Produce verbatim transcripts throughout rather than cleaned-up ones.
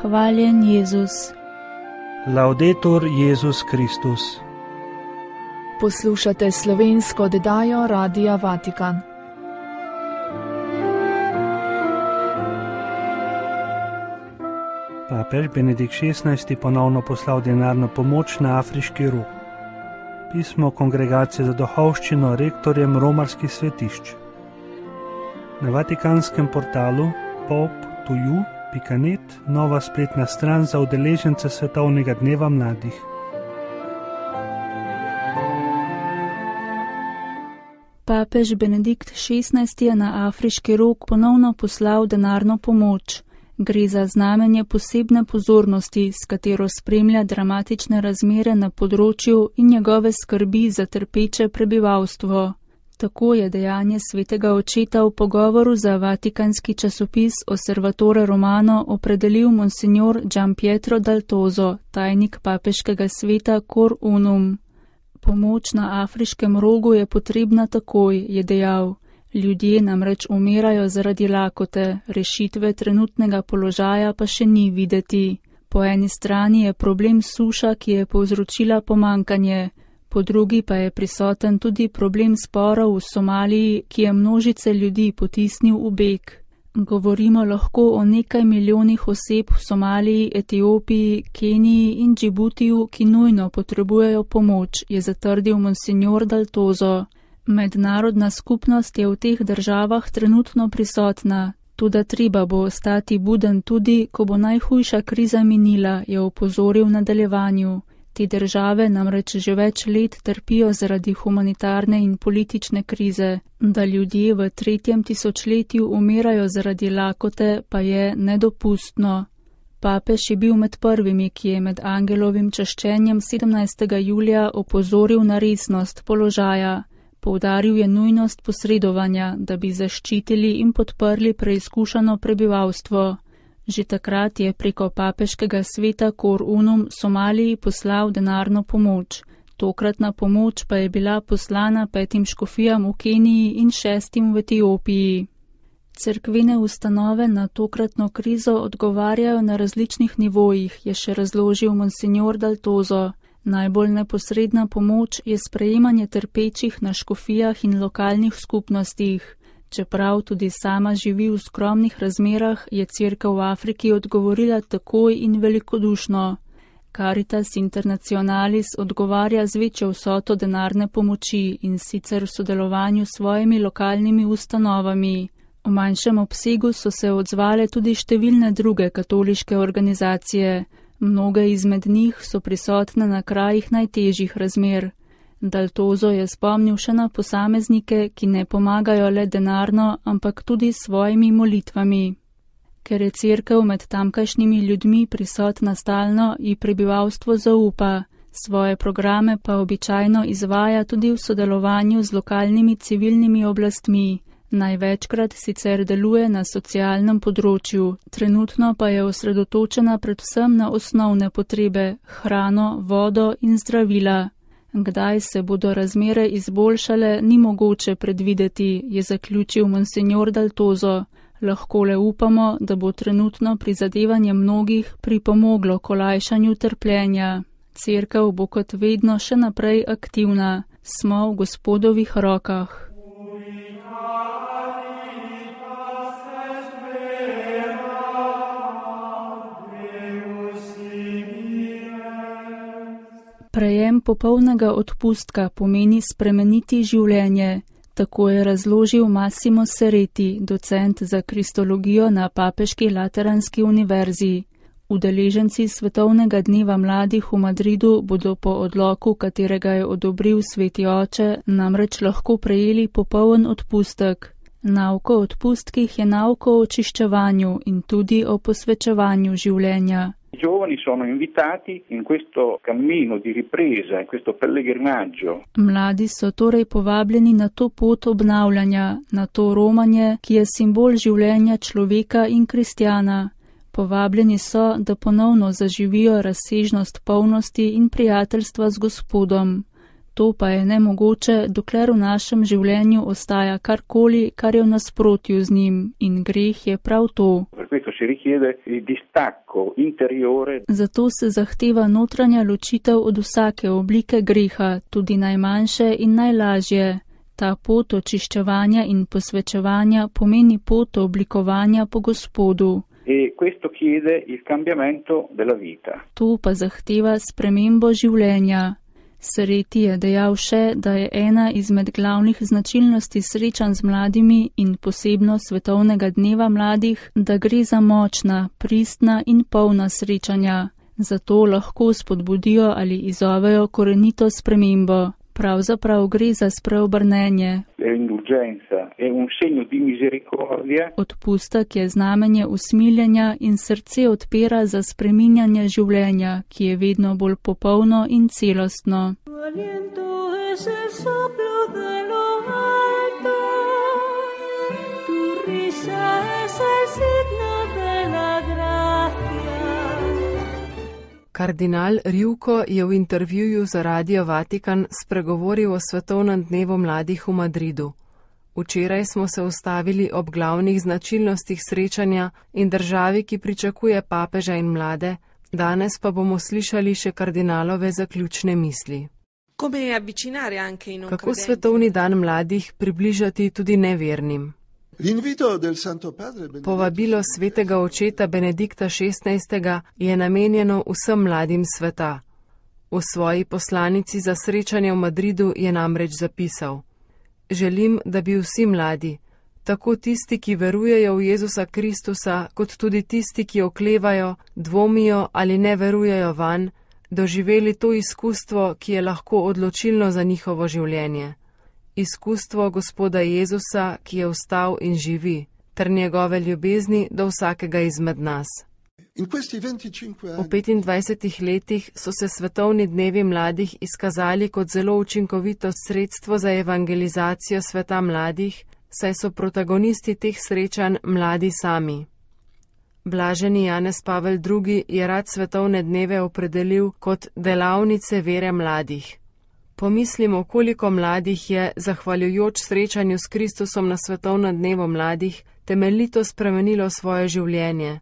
Hvaljen Jezus. Laudetur Jezus Kristus. Poslušate slovensko oddajo Radia Vatikan. Papež Benedikt šestnajsti ponovno poslal denarno pomoč na afriški rog. Pismo Kongregacije za duhovščino rektorjem romarskih svetišč. Na vatikanskem portalu pope to you pika net nova spletna stran za udeležence Svetovnega dneva mladih. Papež Benedikt šestnajsti je na afriški rog ponovno poslal denarno pomoč. Gre za znamenje posebne pozornosti, s katero spremlja dramatične razmere na področju in njegove skrbi za trpeče prebivalstvo. Tako je dejanje svetega očeta v pogovoru za vatikanski časopis Osservatore Romano opredelil monsignor Gian Pietro Daltozo, tajnik papeškega sveta Cor Unum. Pomoč na afriškem rogu je potrebna takoj, je dejal. Ljudje namreč umirajo zaradi lakote, rešitve trenutnega položaja pa še ni videti. Po eni strani je problem suša, ki je povzročila pomankanje, po drugi pa je prisoten tudi problem sporov v Somaliji, ki je množice ljudi potisnil v beg. Govorimo lahko o nekaj milijonih oseb v Somaliji, Etiopiji, Keniji in Džibutiju, ki nujno potrebujejo pomoč, je zatrdil monsignor Daltozo. Mednarodna skupnost je v teh državah trenutno prisotna, toda treba bo ostati buden tudi, ko bo najhujša kriza minila, je opozoril v nadaljevanju. Te države namreč že več let trpijo zaradi humanitarne in politične krize. Da ljudje v tretjem tisočletju umirajo zaradi lakote, pa je nedopustno. Papež je bil med prvimi, ki je med angelovim čaščenjem sedemnajstega julija opozoril na resnost položaja. Poudaril je nujnost posredovanja, da bi zaščitili in podprli preizkušano prebivalstvo. Že takrat je preko papeškega sveta Cor Unum Somaliji poslal denarno pomoč. Tokratna pomoč pa je bila poslana petim škofijam v Keniji in šestim v Etiopiji. Cerkvene ustanove na tokratno krizo odgovarjajo na različnih nivojih, je še razložil monsignor Daltozo. Najbolj neposredna pomoč je sprejemanje trpečih na škofijah in lokalnih skupnostih. Čeprav tudi sama živi v skromnih razmerah, je Cerkev v Afriki odgovorila takoj in velikodušno. Caritas Internationalis odgovarja z večjo vsoto denarne pomoči in sicer v sodelovanju s svojimi lokalnimi ustanovami. V manjšem obsegu so se odzvale tudi številne druge katoliške organizacije. Mnoge izmed njih so prisotne na krajih najtežjih razmer. Daltozo je spomnil še na posameznike, ki ne pomagajo le denarno, ampak tudi svojimi molitvami. Ker je Cerkev med tamkajšnjimi ljudmi prisotna stalno, ji prebivalstvo zaupa. Svoje programe pa običajno izvaja tudi v sodelovanju z lokalnimi civilnimi oblastmi. Največkrat sicer deluje na socialnem področju, trenutno pa je osredotočena predvsem na osnovne potrebe, hrano, vodo in zdravila. Kdaj se bodo razmere izboljšale, ni mogoče predvideti, je zaključil monsignor Daltozo. Lahko le upamo, da bo trenutno prizadevanje mnogih pripomoglo k olajšanju trpljenja. Cerkev bo kot vedno še naprej aktivna. Smo v Gospodovih rokah. Prejem popolnega odpustka pomeni spremeniti življenje, tako je razložil Massimo Sereti, docent za kristologijo na Papeški Lateranski univerzi. Udeleženci Svetovnega dneva mladih v Madridu bodo po odloku, katerega je odobril Sveti oče, namreč lahko prejeli popoln odpustek. Nauka o odpustkih je nauka o očiščevanju in tudi o posvečevanju življenja. I giovani sono invitati in questo cammino di ripresa, in questo pellegrinaggio. Mladi so torej povabljeni na to pot obnavljanja, na to romanje, ki je simbol življenja človeka in kristjana. Povabljeni so, da ponovno zaživijo razsežnost polnosti in prijateljstva z Gospodom. To pa je nemogoče, dokler v našem življenju ostaja karkoli, kar je v nasprotju z njim, in greh je prav to. Per questo si richiede il distacco interiore. Zato se zahteva notranja ločitev od vsake oblike greha, tudi najmanjše in najlažje. Ta pot očiščevanja in posvečevanja pomeni pot oblikovanja po Gospodu. E questo chiede il cambiamento della vita. To pa zahteva spremembo življenja. Sereti je dejal še, da je ena izmed glavnih značilnosti srečanj z mladimi in posebno svetovnega dneva mladih, da gre za močna, pristna in polna srečanja. Zato lahko spodbudijo ali izzovejo korenito spremembo. Pravzaprav gre za spreobrnenje. Odpustek je znamenje usmiljenja in srce odpira za spreminjanje življenja, ki je vedno bolj popolno in celostno. Kardinal Rjuko je v intervjuju za Radio Vatikan spregovoril o svetovnem dnevu mladih v Madridu. Včeraj smo se ustavili ob glavnih značilnostih srečanja in državi, ki pričakuje papeža in mlade, danes pa bomo slišali še kardinalove zaključne misli. Kako svetovni dan mladih približati tudi nevernim? Povabilo svetega očeta Benedikta šestnajstega je namenjeno vsem mladim sveta. V svoji poslanici za srečanje v Madridu je namreč zapisal: Želim, da bi vsi mladi, tako tisti, ki verujejo v Jezusa Kristusa, kot tudi tisti, ki oklevajo, dvomijo ali ne verujejo vanj, doživeli to izkustvo, ki je lahko odločilno za njihovo življenje. Izkustvo Gospoda Jezusa, ki je vstal in živi, ter njegove ljubezni do vsakega izmed nas. V petindvajsetih letih so se svetovni dnevi mladih izkazali kot zelo učinkovito sredstvo za evangelizacijo sveta mladih, saj so protagonisti teh srečanj mladi sami. Blaženi Janez Pavel drugi je rad svetovne dneve opredelil kot delavnice vere mladih. Pomislimo, koliko mladih je, zahvaljujoč srečanju s Kristusom na svetovnem dnevu mladih, temeljito spremenilo svoje življenje.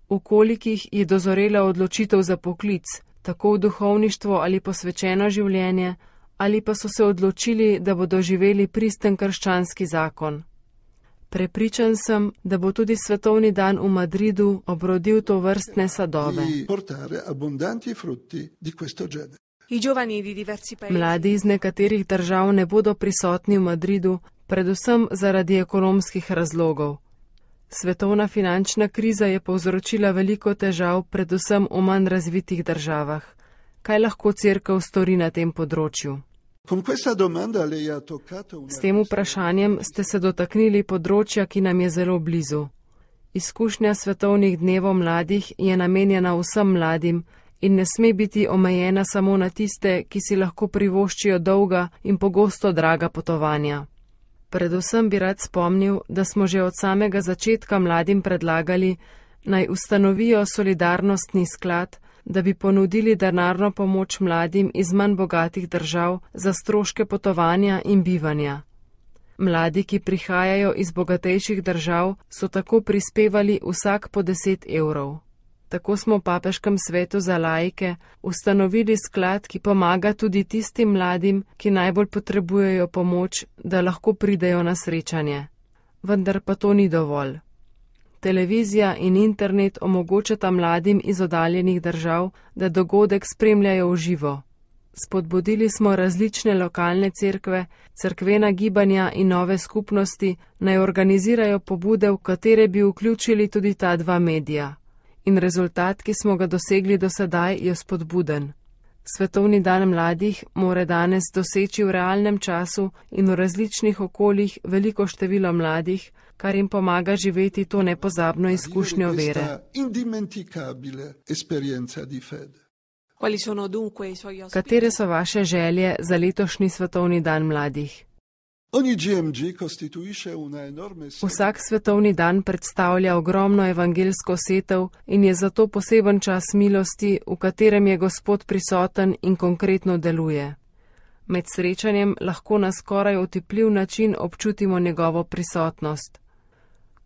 V kolikih je dozorela odločitev za poklic, tako v duhovništvo ali posvečeno življenje, ali pa so se odločili, da bodo živeli pristen krščanski zakon. Prepričan sem, da bo tudi svetovni dan v Madridu obrodil to vrstne sadove. Mladi iz nekaterih držav ne bodo prisotni v Madridu, predvsem zaradi ekonomskih razlogov. Svetovna finančna kriza je povzročila veliko težav, predvsem v manj razvitih državah. Kaj lahko cerkev stori na tem področju? S tem vprašanjem ste se dotaknili področja, ki nam je zelo blizu. Izkušnja svetovnih dnevov mladih je namenjena vsem mladim in ne sme biti omejena samo na tiste, ki si lahko privoščijo dolga in pogosto draga potovanja. Predvsem bi rad spomnil, da smo že od samega začetka mladim predlagali, naj ustanovijo solidarnostni sklad, da bi ponudili denarno pomoč mladim iz manj bogatih držav za stroške potovanja in bivanja. Mladi, ki prihajajo iz bogatejših držav, so tako prispevali vsak po deset evrov. Tako smo v Papeškem svetu za laike ustanovili sklad, ki pomaga tudi tistim mladim, ki najbolj potrebujejo pomoč, da lahko pridejo na srečanje. Vendar pa to ni dovolj. Televizija in internet omogočata mladim iz oddaljenih držav, da dogodek spremljajo v živo. Spodbudili smo različne lokalne cerkve, cerkvena gibanja in nove skupnosti, naj organizirajo pobude, v katere bi vključili tudi ta dva medija. In rezultat, ki smo ga dosegli do sedaj, je spodbuden. Svetovni dan mladih mora danes doseči v realnem času in v različnih okoljih veliko število mladih, kar jim pomaga živeti to nepozabno izkušnjo vere. Katere so vaše želje za letošnji svetovni dan mladih? Vsak svetovni dan predstavlja ogromno evangelsko setev in je zato poseben čas milosti, v katerem je Gospod prisoten in konkretno deluje. Med srečanjem lahko na skoraj otipljiv način občutimo njegovo prisotnost.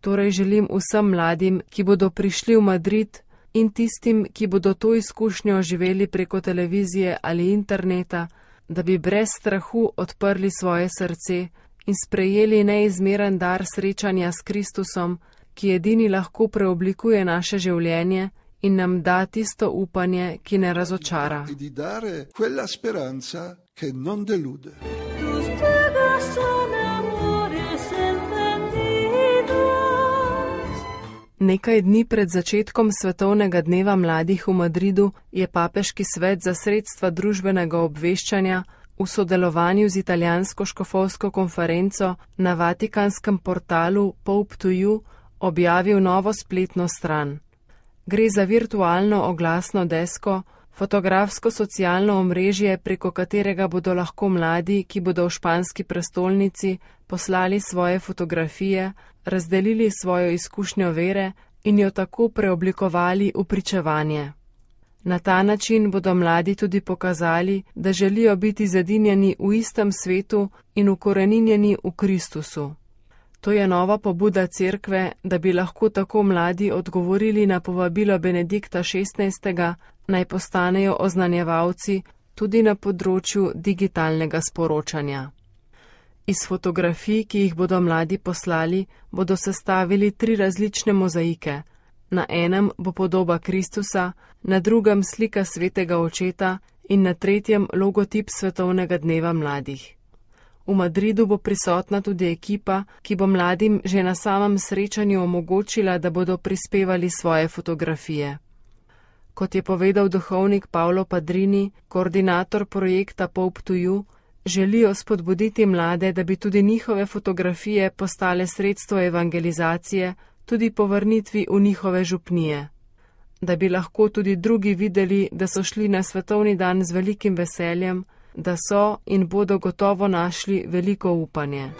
Torej želim vsem mladim, ki bodo prišli v Madrid, in tistim, ki bodo to izkušnjo živeli preko televizije ali interneta, da bi brez strahu odprli svoje srce in sprejeli neizmeren dar srečanja s Kristusom, ki edini lahko preoblikuje naše življenje in nam da tisto upanje, ki ne razočara. Nekaj dni pred začetkom Svetovnega dneva mladih v Madridu je Papeški svet za sredstva družbenega obveščanja v sodelovanju z italijansko škofovsko konferenco na vatikanskem portalu Pope to You objavil novo spletno stran. Gre za virtualno oglasno desko, fotografsko socialno omrežje, preko katerega bodo lahko mladi, ki bodo v španski prestolnici, poslali svoje fotografije, razdelili svojo izkušnjo vere in jo tako preoblikovali v pričevanje. Na ta način bodo mladi tudi pokazali, da želijo biti zedinjeni v istem svetu in ukoreninjeni v Kristusu. To je nova pobuda cerkve, da bi lahko tako mladi odgovorili na povabilo Benedikta šestnajstega, naj postanejo oznanjevalci tudi na področju digitalnega sporočanja. Iz fotografij, ki jih bodo mladi poslali, bodo sestavili tri različne mozaike. Na enem bo podoba Kristusa, na drugem slika svetega očeta in na tretjem logotip Svetovnega dneva mladih. V Madridu bo prisotna tudi ekipa, ki bo mladim že na samem srečanju omogočila, da bodo prispevali svoje fotografije. Kot je povedal duhovnik Paolo Padrini, koordinator projekta Pope to You, želijo spodbuditi mlade, da bi tudi njihove fotografije postale sredstvo evangelizacije, tudi po vrnitvi v njihove župnije. Da bi lahko tudi drugi videli, da so šli na svetovni dan z velikim veseljem, da so in bodo gotovo našli veliko upanje.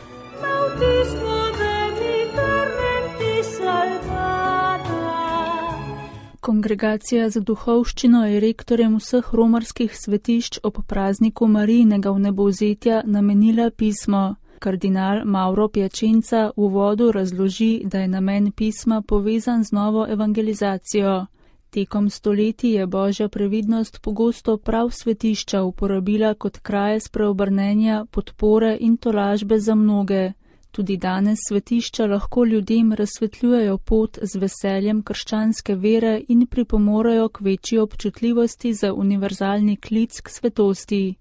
Kongregacija za duhovščino je rektorjem vseh romarskih svetišč ob prazniku Marijinega vnebovzetja namenila pismo. Kardinal Mauro Piacenza v uvodu razloži, da je namen pisma povezan z novo evangelizacijo. Tekom stoletij je Božja previdnost pogosto prav svetišča uporabila kot kraje spreobrnenja, podpore in tolažbe za mnoge. Tudi danes svetišča lahko ljudem razsvetljujejo pot z veseljem krščanske vere in pripomorejo k večji občutljivosti za univerzalni klic k svetosti.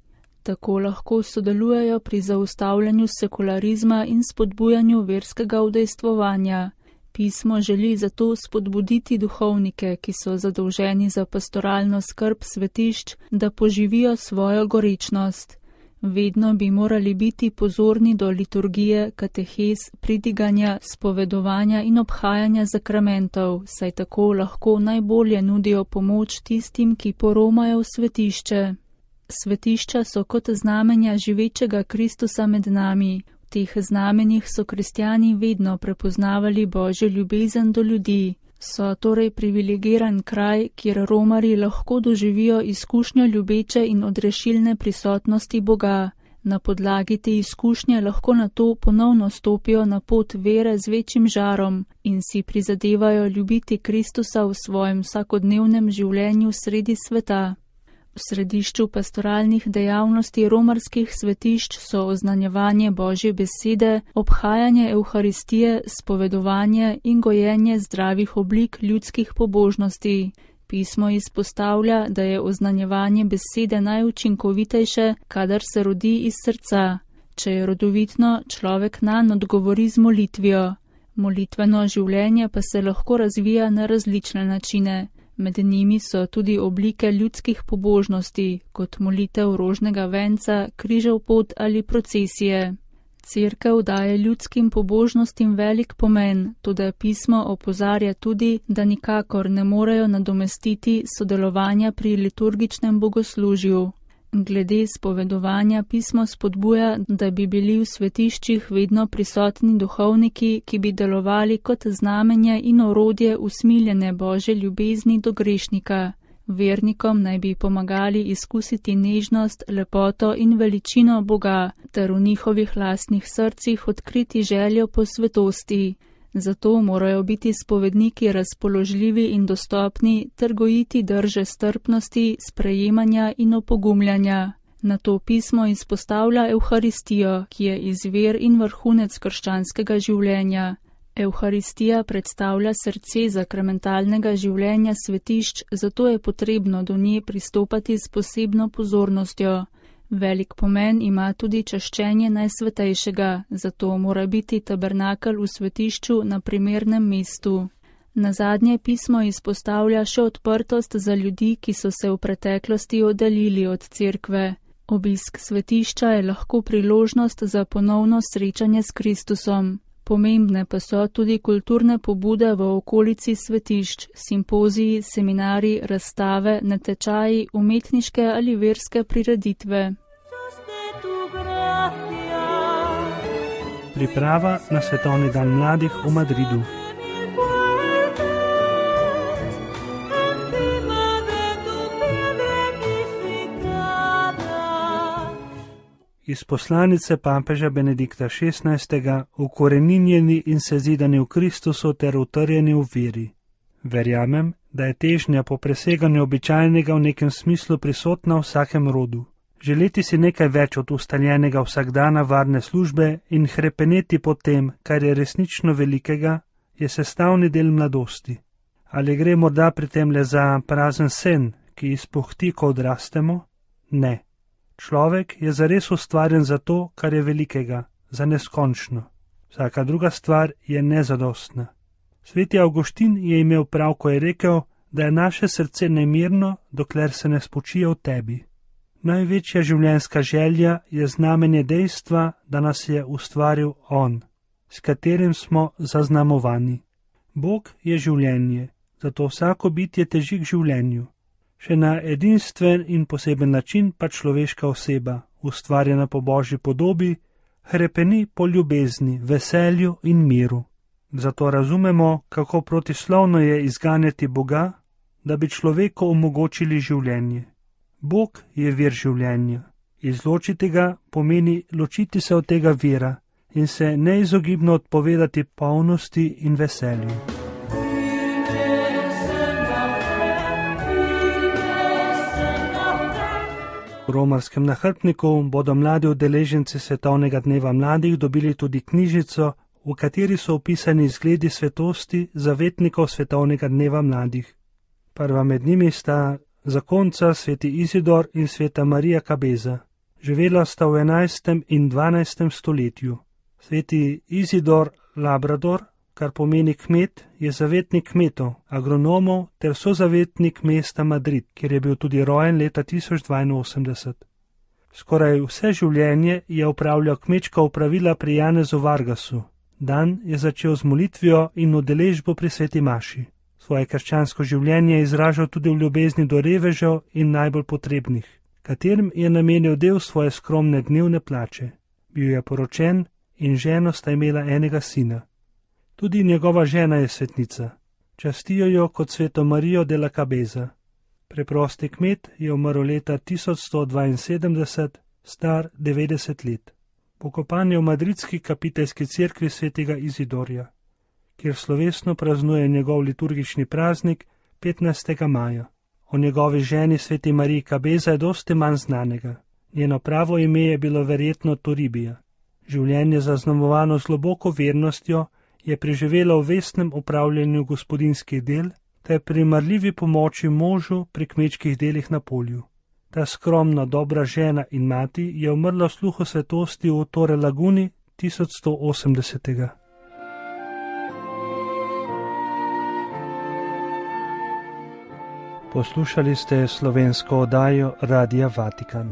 Tako lahko sodelujejo pri zaustavljanju sekularizma in spodbujanju verskega udejstvovanja. Pismo želi zato spodbuditi duhovnike, ki so zadolženi za pastoralno skrb svetišč, da poživijo svojo gorečnost. Vedno bi morali biti pozorni do liturgije, katehez, pridiganja, spovedovanja in obhajanja zakramentov, saj tako lahko najbolje nudijo pomoč tistim, ki poromajo v svetišče. Svetišča so kot znamenja živečega Kristusa med nami. V teh znamenjih so kristjani vedno prepoznavali Božjo ljubezen do ljudi. So torej privilegiran kraj, kjer romarji lahko doživijo izkušnjo ljubeče in odrešilne prisotnosti Boga. Na podlagi te izkušnje lahko nato ponovno stopijo na pot vere z večjim žarom in si prizadevajo ljubiti Kristusa v svojem vsakodnevnem življenju sredi sveta. V središču pastoralnih dejavnosti romarskih svetišč so oznanjevanje Božje besede, obhajanje Evharistije, spovedovanje in gojenje zdravih oblik ljudskih pobožnosti. Pismo izpostavlja, da je oznanjevanje besede najučinkovitejše, kadar se rodi iz srca. Če je rodovitno, človek nanj odgovori z molitvijo. Molitveno življenje pa se lahko razvija na različne načine. Med njimi so tudi oblike ljudskih pobožnosti, kot molitev rožnega venca, križev pot ali procesije. Cerkev daje ljudskim pobožnostim velik pomen, toda pismo opozarja tudi, da nikakor ne morejo nadomestiti sodelovanja pri liturgičnem bogoslužju. Glede spovedovanja pismo spodbuja, da bi bili v svetiščih vedno prisotni duhovniki, ki bi delovali kot znamenje in orodje usmiljene Božje ljubezni do grešnika. Vernikom naj bi pomagali izkusiti nežnost, lepoto in veličino Boga, ter v njihovih lastnih srcih odkriti željo po svetosti. Zato morajo biti spovedniki razpoložljivi in dostopni ter gojiti drže strpnosti, sprejemanja in opogumljanja. Na to pismo izpostavlja Evharistijo, ki je izvir in vrhunec krščanskega življenja. Evharistija predstavlja srce sakramentalnega življenja svetišč, zato je potrebno do nje pristopati s posebno pozornostjo. Velik pomen ima tudi čaščenje Najsvetejšega, zato mora biti tabernakelj v svetišču na primernem mestu. Nazadnje pismo izpostavlja še odprtost za ljudi, ki so se v preteklosti oddaljili od cerkve. Obisk svetišča je lahko priložnost za ponovno srečanje s Kristusom. Pomembne pa so tudi kulturne pobude v okolici svetišč, simpoziji, seminari, razstave, natečaji, umetniške ali verske prireditve. Priprava na Svetovni dan mladih v Madridu. Iz poslanice papeža Benedikta šestnajstega, ukoreninjeni in sezidani v Kristusu ter utrjeni v veri. Verjamem, da je težnja po preseganju običajnega v nekem smislu prisotna v vsakem rodu. Želeti si nekaj več od ustaljenega vsakdana varne službe in hrepeneti po tem, kar je resnično velikega, je sestavni del mladosti. Ali gre morda pri tem le za prazen sen, ki izpuhti, ko odrastemo? Ne. Človek je zares ustvarjen za to, kar je velikega, za neskončno. Vsaka druga stvar je nezadostna. Sveti Avguštin je imel prav, ko je rekel, da je naše srce nemirno, dokler se ne spočije v tebi. Največja življenjska želja je znamenje dejstva, da nas je ustvaril On, s katerim smo zaznamovani. Bog je življenje, zato vsako bitje teži k življenju. Še na edinstven in poseben način pa človeška oseba, ustvarjena po Božji podobi, hrepeni po ljubezni, veselju in miru. Zato razumemo, kako protislovno je izganjati Boga, da bi človeku omogočili življenje. Bog je vir življenja. Izločiti ga pomeni ločiti se od tega vira in se neizogibno odpovedati polnosti in veselju. V romarskem nahrbtniku bodo mladi udeleženci Svetovnega dneva mladih dobili tudi knjižico, v kateri so opisani izgledi svetosti zavetnikov Svetovnega dneva mladih. Prva med njimi sta zakonca sveti Izidor in sveta Marija Kabeza. Živela sta v enajstem in dvanajstem stoletju. Sveti Izidor Labrador, kar pomeni kmet, je zavetnik kmetov, agronomov ter sozavetnik mesta Madrid, kjer je bil tudi rojen leta tisoč dvainosemdeset. Skoraj vse življenje je opravljal kmečka opravila pri Janezu Vargasu. Dan je začel z molitvijo in udeležbo pri sveti maši. Svoje krščansko življenje je izražal tudi v ljubezni do revežev in najbolj potrebnih, katerim je namenil del svoje skromne dnevne plače. Bil je poročen in ženo sta imela enega sina. Tudi njegova žena je svetnica. Častijo jo kot sveto Marijo de la Cabeza. Preprosti kmet je umrl leta tisoč sto dvainsedemdeset, star devetdeset let. Pokopan je v madridski kapiteljski cerkvi svetega Izidorja, kjer slovesno praznuje njegov liturgični praznik petnajstega maja. O njegovi ženi sveti Mariji Cabeza je dosti manj znanega. Njeno pravo ime je bilo verjetno Toribija. Življenje zaznamovano z globoko vernostjo je preživela v vestnem upravljanju gospodinjskih del ter pri marljivi pomoči možu pri kmečkih delih na polju. Ta skromna, dobra žena in mati je umrla v sluhu svetosti v Torre Laguni tisoč sto osemdesetega. Poslušali ste slovensko oddajo Radia Vatikan.